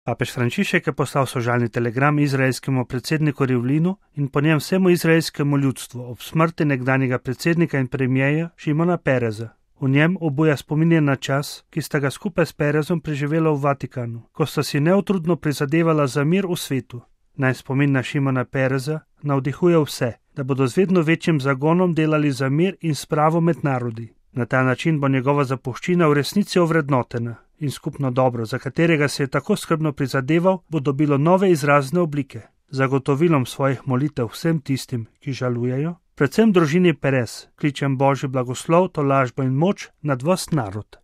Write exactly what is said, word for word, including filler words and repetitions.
Papež Frančišek je poslal sožalni telegram izraelskemu predsedniku Rivlinu in po njem vsemu izraelskemu ljudstvu ob smrti nekdanjega predsednika in premijeja Šimona Pereza. V njem obuja spominje na čas, ki sta ga skupaj s Perezom preživela v Vatikanu, ko sta si neutrudno prizadevala za mir v svetu. Naj spomin na Šimona Pereza navdihuje vse, da bodo z vedno večjim zagonom delali za mir in spravo med narodi. Na ta način bo njegova zapuščina v resnici ovrednotena in skupno dobro, za katerega se je tako skrbno prizadeval, bo dobilo nove izrazne oblike. Zagotovilom svojih molitev vsem tistim, ki žalujejo, predvsem družini Perez, kličem Božji blagoslov, tolažbo in moč nad vas narod.